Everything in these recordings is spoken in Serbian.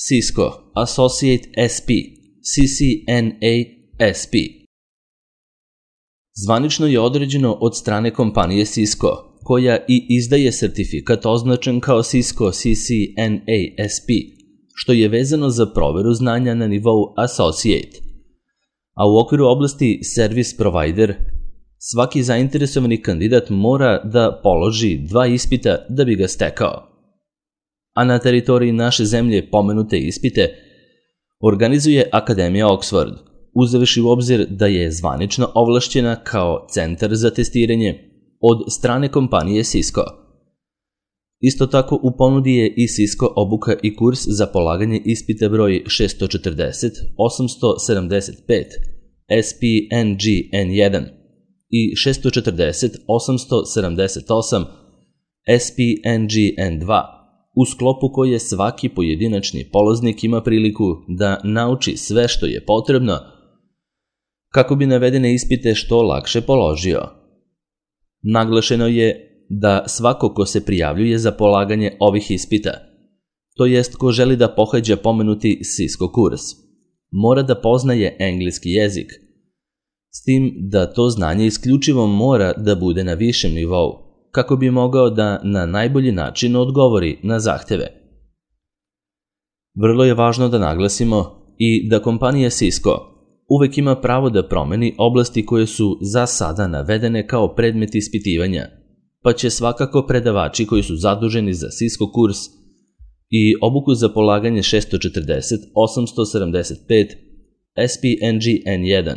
Cisco Associate SP, CCNA SP. Zvanično je određeno od strane kompanije Cisco, koja i izdaje sertifikat označen kao Cisco CCNA SP, što je vezano za proveru znanja na nivou Associate. A u okviru oblasti Service Provider, svaki zainteresovani kandidat mora da položi 2 ispita da bi ga stekao. A na teritoriji naše zemlje pomenute ispite organizuje Akademija Oxford, uzevši u obzir da je zvanično ovlašćena kao centar za testiranje od strane kompanije Cisco. Isto tako u ponudi je i Cisco obuka i kurs za polaganje ispita broj 640 875 SPNG-N1 i 640 878 SPNG-N2, u sklopu koje svaki pojedinačni polaznik ima priliku da nauči sve što je potrebno kako bi navedene ispite što lakše položio. Naglašeno je da svako ko se prijavljuje za polaganje ovih ispita, to jest ko želi da pohađa pomenuti Cisco kurs, mora da poznaje engleski jezik, s tim da to znanje isključivo mora da bude na višem nivou, kako bi mogao da na najbolji način odgovori na zahteve. Vrlo je važno da naglasimo i da kompanija Cisco uvek ima pravo da promeni oblasti koje su za sada navedene kao predmet ispitivanja, pa će svakako predavači koji su zaduženi za Cisco kurs i obuku za polaganje 640 875 SPNG-N1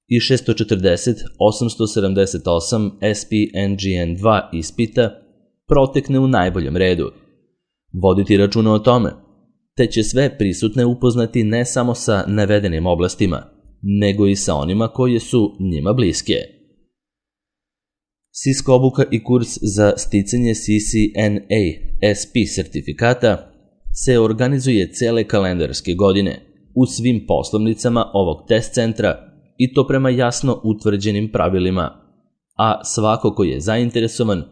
i 640 878 SPNG-N2 ispita protekne u najboljem redu, voditi računa o tome, te će sve prisutne upoznati ne samo sa navedenim oblastima, nego i sa onima koje su njima bliske. Cisco obuka i kurs za sticanje CCNA SP sertifikata se organizuje cele kalendarske godine u svim poslovnicama ovog test centra i to prema jasno utvrđenim pravilima, a svako ko je zainteresovan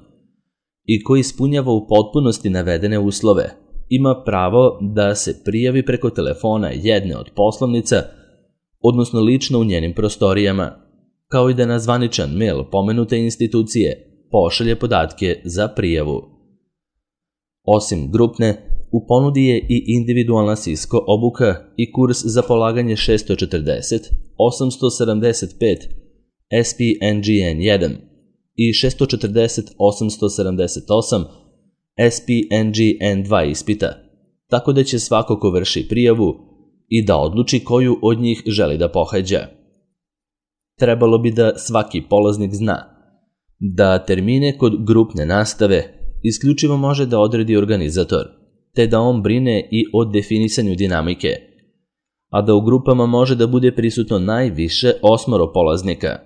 i ko ispunjava u potpunosti navedene uslove ima pravo da se prijavi preko telefona jedne od poslovnica, odnosno lično u njenim prostorijama, kao i da na zvaničan mail pomenute institucije pošalje podatke za prijavu. Osim grupne, u ponudi je i individualna Cisco obuka i kurs za polaganje 640 875 SPNG-N1 i 640 878 SPNG-N2 ispita, tako da će svako ko vrši prijavu i da odluči koju od njih želi da pohađa. Trebalo bi da svaki polaznik zna da termine kod grupne nastave isključivo može da odredi organizator, te da on brine i o definisanju dinamike, a da u grupama može da bude prisutno najviše 8 polaznika.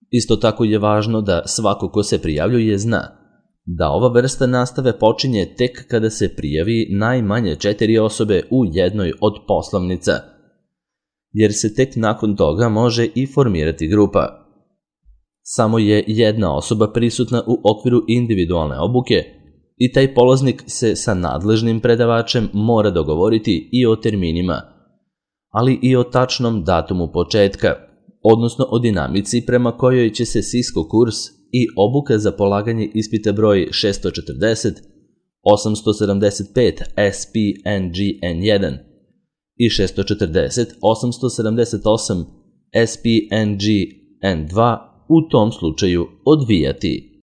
Isto tako je važno da svako ko se prijavljuje zna da ova vrsta nastave počinje tek kada se prijavi najmanje 4 osobe u jednoj od poslovnica, jer se tek nakon toga može i formirati grupa. Samo je jedna osoba prisutna u okviru individualne obuke i taj polaznik se sa nadležnim predavačem mora dogovoriti i o terminima, ali i o tačnom datumu početka, odnosno o dinamici prema kojoj će se Cisco kurs i obuka za polaganje ispita broj 640 875 SPNG-N1 i 640 878 SPNG-N2 u tom slučaju odvijati.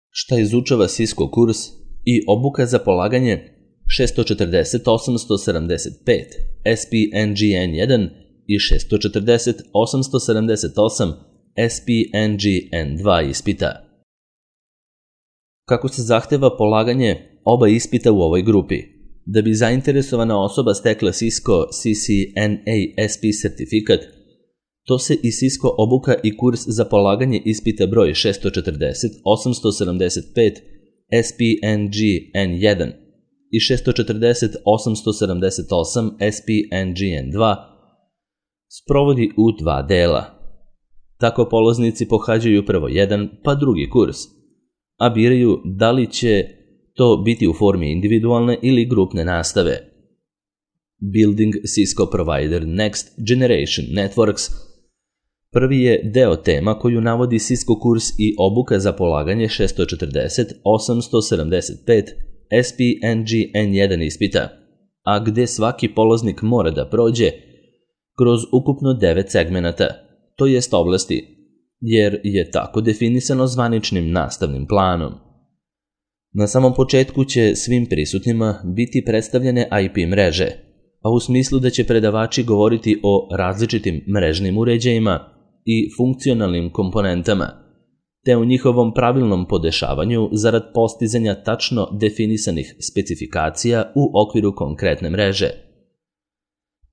Šta izučava Cisco kurs i obuka za polaganje 640 875 SPNG-N1 i 640 878 SPNG-N2 ispita? Kako se zahteva polaganje oba ispita u ovoj grupi? Da bi zainteresovana osoba stekla Cisco CCNA SP sertifikat, to se i Cisco obuka i kurs za polaganje ispita broj 640 875 SPNG-N1 i 640 878 SPNG-N2 sprovodi u 2 dela. Tako polaznici pohađaju prvo jedan pa drugi kurs, a biraju da li će to biti u formi individualne ili grupne nastave. Building Cisco Provider Next Generation Networks prvi je deo tema koju navodi Cisco kurs i obuka za polaganje 640-875 SPNG-N1 ispita, a gde svaki polaznik mora da prođe kroz ukupno 9 segmenata, to jest oblasti, jer je tako definisano zvaničnim nastavnim planom. Na samom početku će svim prisutnima biti predstavljene IP mreže, a u smislu da će predavači govoriti o različitim mrežnim uređajima i funkcionalnim komponentama, te o njihovom pravilnom podešavanju zarad postizanja tačno definisanih specifikacija u okviru konkretne mreže.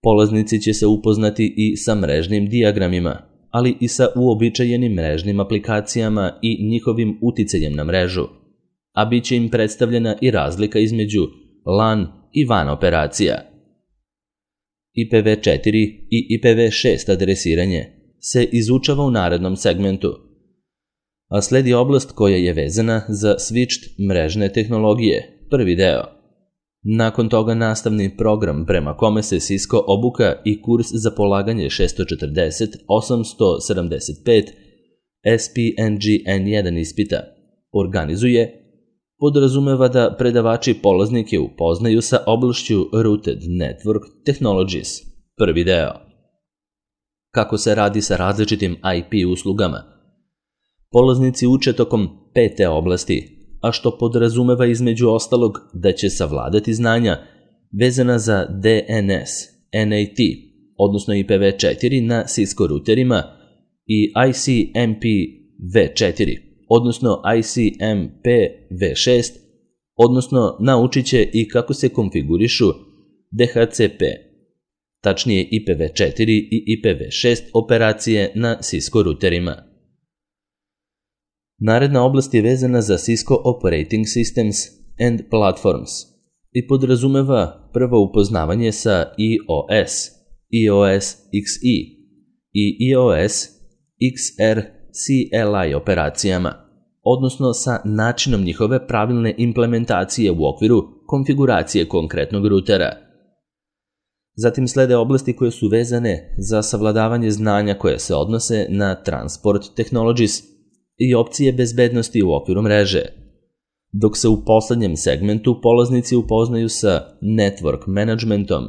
Polaznici će se upoznati i sa mrežnim dijagramima, ali i sa uobičajenim mrežnim aplikacijama i njihovim uticajem na mrežu, a bit će im predstavljena i razlika između LAN i WAN operacija. IPv4 i IPv6 adresiranje se izučava u narednom segmentu, a sledi oblast koja je vezana za switched mrežne tehnologije, prvi deo. Nakon toga nastavni program prema kome se Cisco obuka i kurs za polaganje 640-875 SPNG-N1 ispita organizuje, podrazumeva da predavači polaznike upoznaju sa oblašću Routed Network Technologies, prvi deo. Kako se radi sa različitim IP uslugama. Polaznici uče tokom 5. oblasti, a što podrazumeva između ostalog da će savladati znanja vezana za DNS, NAT, odnosno IPv4 na Cisco ruterima i ICMP-v4, odnosno ICMP-v6, odnosno naučit će i kako se konfigurišu DHCP, tačnije IPv4 i IPv6 operacije na Cisco ruterima. Naredna oblast je vezana za Cisco Operating Systems and Platforms i podrazumeva prvo upoznavanje sa EOS, EOS XE i EOS XR CLI operacijama, odnosno sa načinom njihove pravilne implementacije u okviru konfiguracije konkretnog rutera. Zatim slede oblasti koje su vezane za savladavanje znanja koje se odnose na Transport Technologies i opcije bezbednosti u okviru mreže, dok se u poslednjem segmentu polaznici upoznaju sa Network Managementom,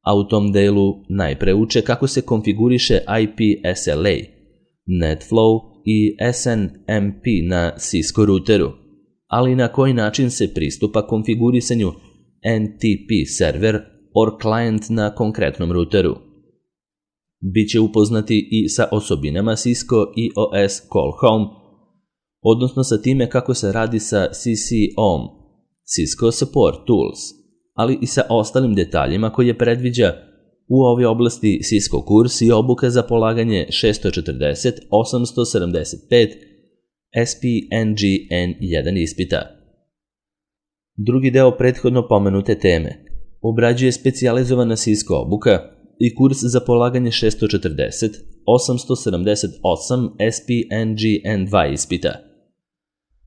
a u tom delu najpre uče kako se konfiguriše IP SLA, NetFlow i SNMP na Cisco ruteru, ali i na koji način se pristupa konfigurisanju NTP server or client na konkretnom ruteru. Biće upoznati i sa osobinama Cisco EOS Call Home, odnosno sa time kako se radi sa CCOM, Cisco Support Tools, ali i sa ostalim detaljima koje predviđa u ovoj oblasti Cisco kurs i obuka za polaganje 640-875 SPNG-N1 ispita. Drugi deo prethodno pomenute teme obrađuje specijalizovana Cisco obuka i kurs za polaganje 640-878 SPNG-N2 ispita,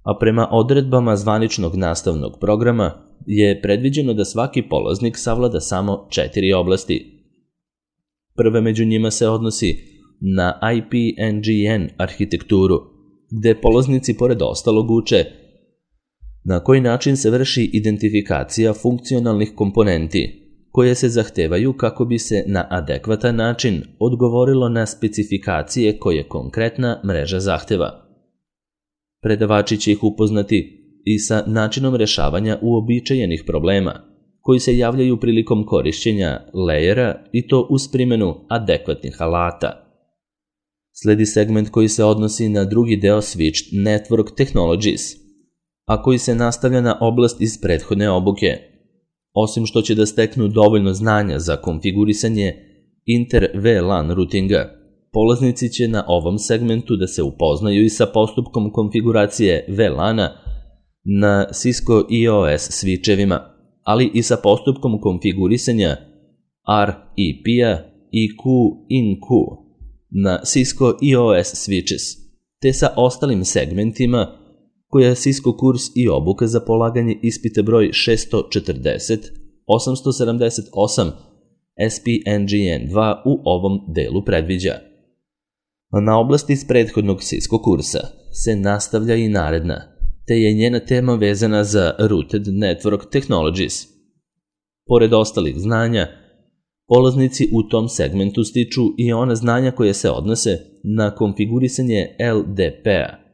a prema odredbama zvaničnog nastavnog programa je predviđeno da svaki polaznik savlada samo 4 oblasti. Prva među njima se odnosi na IP-NGN arhitekturu, gde polaznici pored ostalog uče na koji način se vrši identifikacija funkcionalnih komponenti, koje se zahtevaju kako bi se na adekvatan način odgovorilo na specifikacije koje konkretna mreža zahteva. Predavači će ih upoznati i sa načinom rešavanja uobičajenih problema, koji se javljaju prilikom korišćenja lejera i to uz primjenu adekvatnih alata. Sledi segment koji se odnosi na drugi deo Switched Network Technologies, a koji se nastavlja na oblast iz prethodne obuke. Osim što će da steknu dovoljno znanja za konfigurisanje inter-VLAN routinga, polaznici će na ovom segmentu da se upoznaju i sa postupkom konfiguracije VLAN-a na Cisco EOS switchevima, ali i sa postupkom konfigurisanja REP-a i Q-in-Q na Cisco EOS switches, te sa ostalim segmentima koja je Cisco kurs i obuka za polaganje ispita broj 640 878 SPNGN2 u ovom delu predviđa. Na oblasti iz prethodnog Cisco kursa se nastavlja i naredna, te je njena tema vezana za Rooted Network Technologies. Pored ostalih znanja, polaznici u tom segmentu stiču i ona znanja koje se odnose na konfigurisanje LDP-a,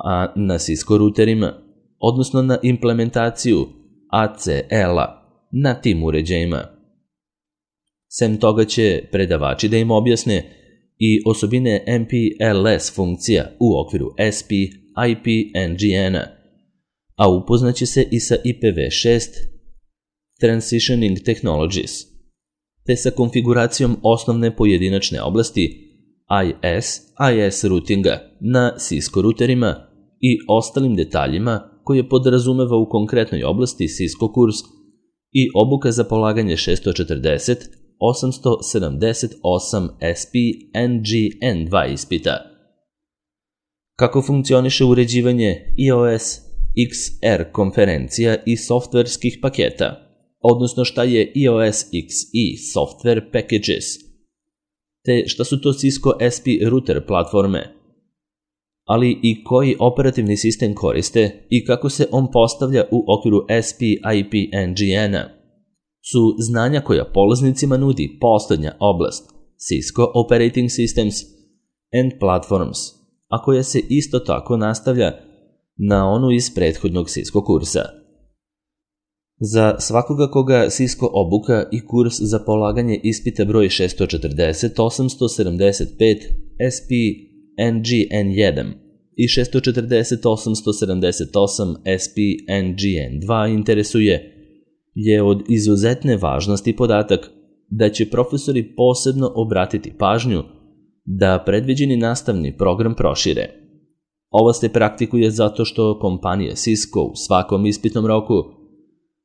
a na Cisco ruterima, odnosno na implementaciju ACL-a na tim uređajima. Sem toga će predavači da im objasne i osobine MPLS funkcija u okviru SP, IP, NGN-a, a upoznaće se i sa IPv6 Transitioning Technologies, te sa konfiguracijom osnovne pojedinačne oblasti IS routinga na Cisco ruterima i ostalim detaljima koje podrazumeva u konkretnoj oblasti Cisco kurs i obuka za polaganje 640 878 SPNGN2 ispita. Kako funkcioniše uređivanje iOS XR konferencija i softverskih paketa, odnosno šta je iOS XE Software Packages, te šta su to Cisco SP router platforme, ali i koji operativni sistem koriste i kako se on postavlja u okviru SP IP NGN-a, su znanja koja polaznicima nudi poslednja oblast Cisco Operating Systems and Platforms, a koja se isto tako nastavlja na onu iz prethodnog Cisco kursa. Za svakoga koga Cisco obuka i kurs za polaganje ispita broj 640 875 SPNGN1 i 640 878 SPNGN2 interesuje, je od izuzetne važnosti podatak da će profesori posebno obratiti pažnju da predviđeni nastavni program prošire. Ovo se praktikuje zato što kompanija Cisco u svakom ispitnom roku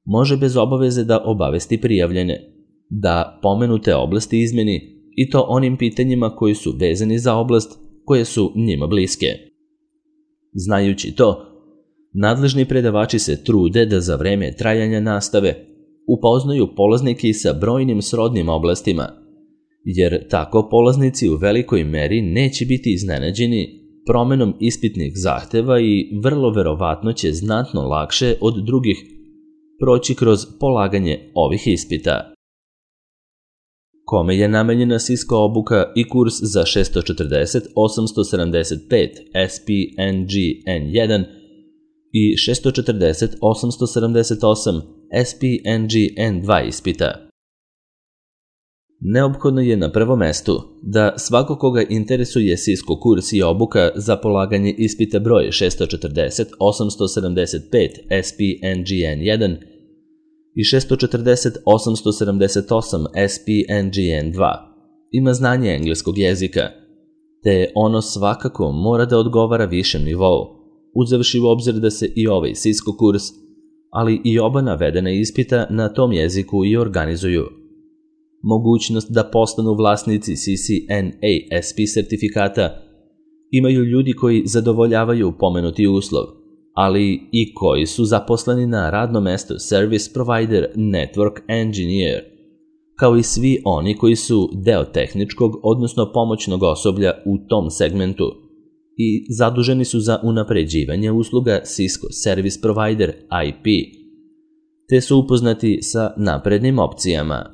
može bez obaveze da obavesti prijavljene, da pomenute oblasti izmeni i to onim pitanjima koji su vezani za oblast koje su njima bliske. Znajući to, nadležni predavači se trude da za vreme trajanja nastave upoznaju polaznike i sa brojnim srodnim oblastima, jer tako polaznici u velikoj meri neće biti iznenađeni promenom ispitnih zahteva i vrlo verovatno će znatno lakše od drugih proći kroz polaganje ovih ispita. Kome je namenjena Cisco obuka i kurs za 640 875 SPNGN1 i 640 878 SPNGN2 ispita? Neophodno je na prvom mestu da svako koga interesuje Cisco kurs i obuka za polaganje ispita broj 640 875 SPNGN1 i 640 878 SPNGN2 ima znanje engleskog jezika, te ono svakako mora da odgovara višem nivou, uzevši u obzir da se i ovaj Cisco kurs, ali i oba navedena ispita na tom jeziku i organizuju. Mogućnost da postanu vlasnici CCNA-SP sertifikata imaju ljudi koji zadovoljavaju pomenuti uslov, ali i koji su zaposleni na radno mesto Service Provider Network Engineer, kao i svi oni koji su deo tehničkog, odnosno pomoćnog osoblja u tom segmentu i zaduženi su za unapređivanje usluga Cisco Service Provider IP, te su upoznati sa naprednim opcijama.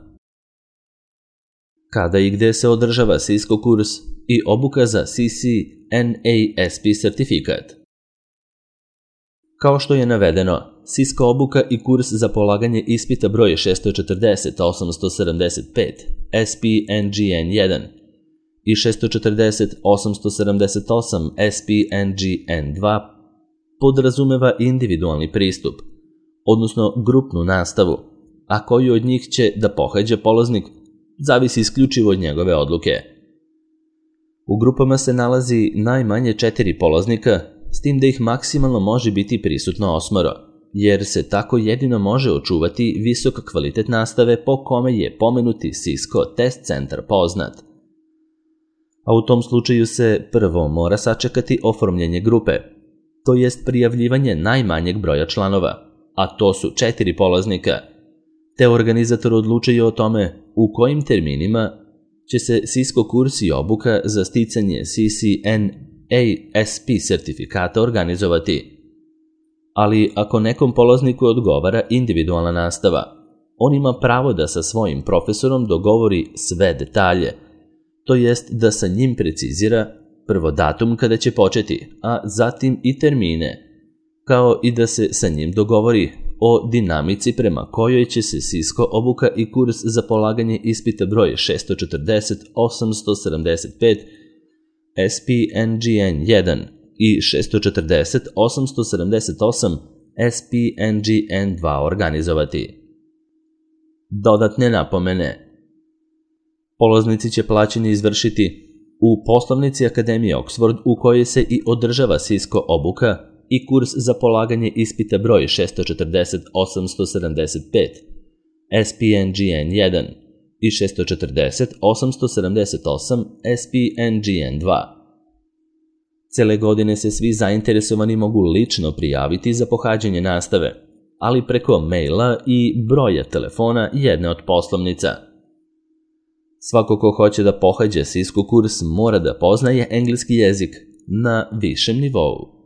Kada i gde se održava Cisco kurs i obuka za CCNA-SP sertifikat? Kao što je navedeno, Cisco obuka i kurs za polaganje ispita broj 640 875 SPNGN1 i 640 878 SPNGN2 podrazumeva individualni pristup, odnosno grupnu nastavu, a koju od njih će da pohađa polaznik zavisi isključivo od njegove odluke. U grupama se nalazi najmanje 4 polaznika, s tim da ih maksimalno može biti prisutno 8, jer se tako jedino može očuvati visok kvalitet nastave po kome je pomenuti Cisco test centar poznat. A u tom slučaju se prvo mora sačekati oformljenje grupe, to jest prijavljivanje najmanjeg broja članova, a to su 4 polaznika, te organizator odlučuje o tome u kojim terminima će se Cisco kurs i obuka za sticanje CCNASP sertifikata organizovati. Ali ako nekom polazniku odgovara individualna nastava, on ima pravo da sa svojim profesorom dogovori sve detalje, to jest da sa njim precizira prvo datum kada će početi, a zatim i termine, kao i da se sa njim dogovori o dinamici prema kojoj će se Cisco obuka i kurs za polaganje ispita broj 640-875 SPNGN-1 i 640-878 SPNGN-2 organizovati. Dodatne napomene. Polaznici će plaćanje izvršiti u poslovnici Akademije Oxford u kojoj se i održava Cisco obuka i kurs za polaganje ispita broj 640-875 SPNGN-1 i 640-878 SPNGN-2. Cele godine se svi zainteresovani mogu lično prijaviti za pohađanje nastave, ali preko maila i broja telefona jedne od poslovnica. Svako ko hoće da pohađa Cisco kurs mora da poznaje engleski jezik na višem nivou.